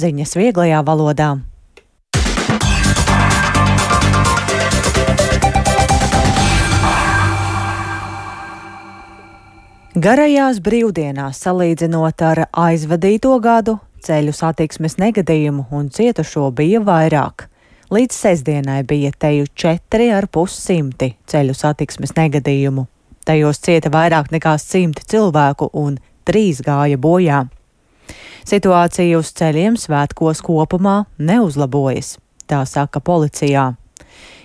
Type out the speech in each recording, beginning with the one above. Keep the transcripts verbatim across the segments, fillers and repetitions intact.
ziņas vieglajā valodā. Garajās brīvdienās, salīdzinot ar aizvadīto gadu, ceļu satiksmes negadījumu un cietušo bija vairāk. Līdz sestdienai bija teju četri ar pus simti ceļu satiksmes negadījumu. Tajos cieta vairāk nekā simti cilvēku un trīs gāja bojā. Situācija uz ceļiem svētkos kopumā neuzlabojas, tā saka policijā.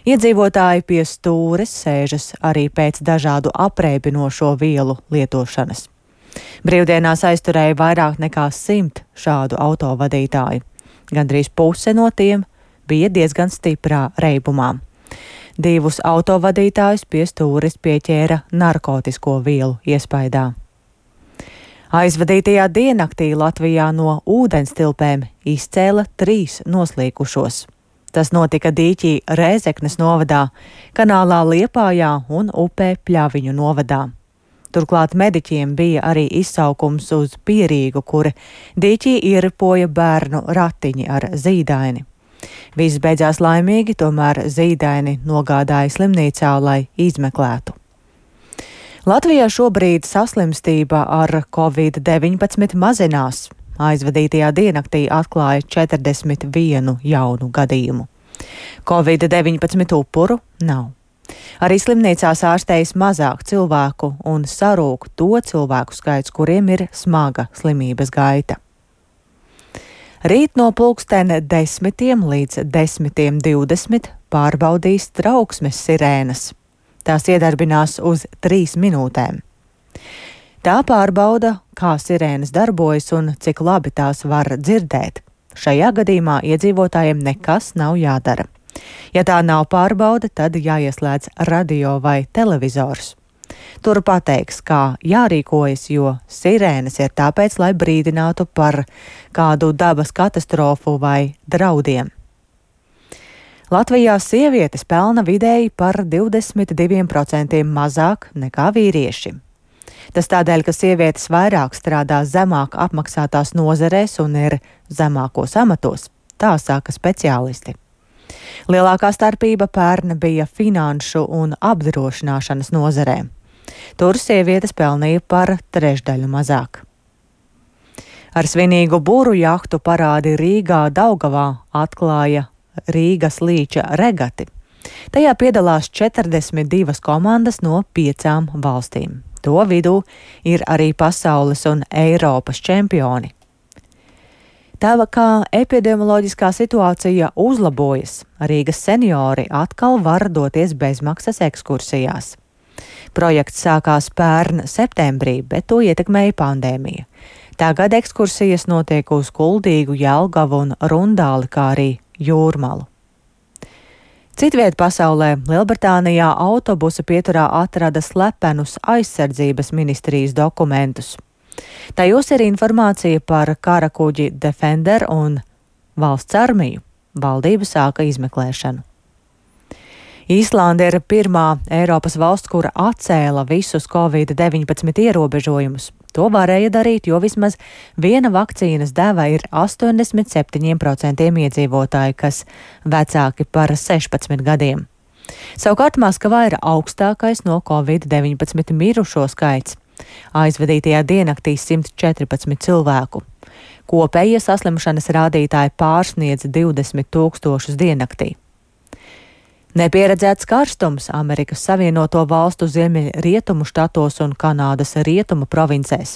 Iedzīvotāji pie stūres sēžas arī pēc dažādu apreibinošo vielu lietošanas. Brīvdienās aizturēja vairāk nekā simt šādu autovadītāju. Gandrīz puse no tiem bija diezgan stiprā reibumā. Divus autovadītājus pie stūres pieķēra narkotisko vielu iespaidā. Aizvadītajā diennaktī Latvijā no ūdenstilpēm izcēla trīs noslīkušos. Tas notika Dīķī Rēzeknes novadā, kanālā Liepājā un upē Pļaviņu novadā. Turklāt mediķiem bija arī izsaukums uz Pierīgu, kur Dīķī ieripoja bērnu ratiņi ar zīdaini. Viss beidzās laimīgi, tomēr zīdaini nogādāja slimnīcā, lai izmeklētu. Latvijā šobrīd saslimstība ar covid deviņpadsmit mazinās. Aizvadītajā diennaktī atklāja četrdesmit vienu jaunu gadījumu. covid deviņpadsmit upuru nav. Arī slimnīcās ārstējas mazāk cilvēku un sarūk to cilvēku skaits, kuriem ir smaga slimības gaita. Rīt no pulksten desmitiem līdz desmitiem divdesmit pārbaudīs trauksmes sirēnas. Tās iedarbinās uz trīs minūtēm. Tā pārbauda, kā sirēnas darbojas un cik labi tās var dzirdēt. Šajā gadījumā iedzīvotājiem nekas nav jādara. Ja tā nav pārbauda, tad jāieslēdz radio vai televizors. Tur pateiks, kā jārīkojas, jo sirēnas ir tāpēc, lai brīdinātu par kādu dabas katastrofu vai draudiem. Latvijā sievietes pelna vidēji par divdesmit diviem procentiem mazāk nekā vīrieši. Tas tādēļ, ka sievietes vairāk strādā zemāk apmaksātās nozarēs un ir zemākos amatos, tā saka speciālisti. Lielākā starpība pērn bija finanšu un apdrošināšanas nozarē. Tur sievietes pelnīja par trešdaļu mazāk. Ar svinīgu būru jahtu parādi Rīgā Daugavā atklāja Rīgas līča regati. Tajā piedalās četrdesmit divas komandas no piecām valstīm. To vidū ir arī pasaules un Eiropas čempioni. Tā kā epidemioloģiskā situācija uzlabojas, Rīgas seniori atkal var doties bezmaksas ekskursijās. Projekts sākās pērn septembrī, bet to ietekmēja pandēmija. Tagad ekskursijas notiek uz Kuldīgu, Jelgavu un Rundāli, kā arī Jūrmalu. Citviet pasaulē Lielbritānijā autobusa pieturā atrada slepenus aizsardzības ministrijas dokumentus. Tajos ir informācija par karakuģi Defender un valsts armiju. Valdība sāka izmeklēšanu. Īslande ir pirmā Eiropas valsts, kura atcēla visus covid deviņpadsmit ierobežojumus. To varēja darīt, jo vismaz viena vakcīnas deva ir astoņdesmit septiņiem procentiem iedzīvotāji, kas vecāki par sešpadsmit gadiem. Savukārt Maskavā ir augstākais no covid deviņpadsmit mirušo skaits. Aizvadītajā diennaktī simt četrpadsmit cilvēku. Kopējie saslimšanas rādītāji pārsniedz divdesmit tūkstošus diennaktī. Nepieredzēts karstums Amerikas Savienoto Valstu ziemeļrietumu štatos un Kanādas rietumu provincēs.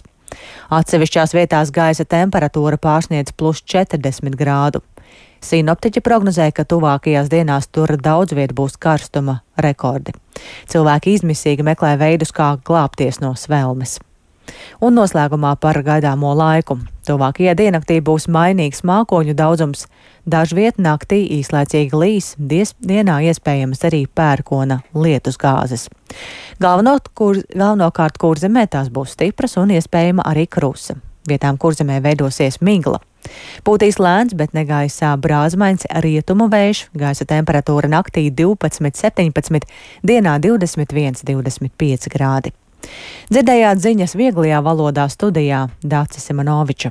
Atsevišķās vietās gaisa temperatūra pārsniedz plus četrdesmit grādu. Sinoptiķi prognozē, ka tuvākajās dienās tur daudz viet būs karstuma rekordi. Cilvēki izmisīgi meklē veidus, kā glābties no svelmes. Un noslēgumā par gaidāmo laiku. Tuvākajā diennaktī būs mainīgs mākoņu daudzums. Dažviet naktī īslaicīgi līs, dies, dienā iespējamas arī pērkona lietus gāzes. Galveno, kur, galvenokārt kurzemē tās būs stipras un iespējama arī krusa. Vietām kurzemē veidosies migla. Pūtīs lēns, bet negaisā brāzmains rietumu vējš, gaisa temperatūra naktī divpadsmit septiņpadsmit, dienā divdesmit viens divdesmit pieci grādi. Dzirdējāt ziņas vieglajā valodā studijā Dācis Simonoviča.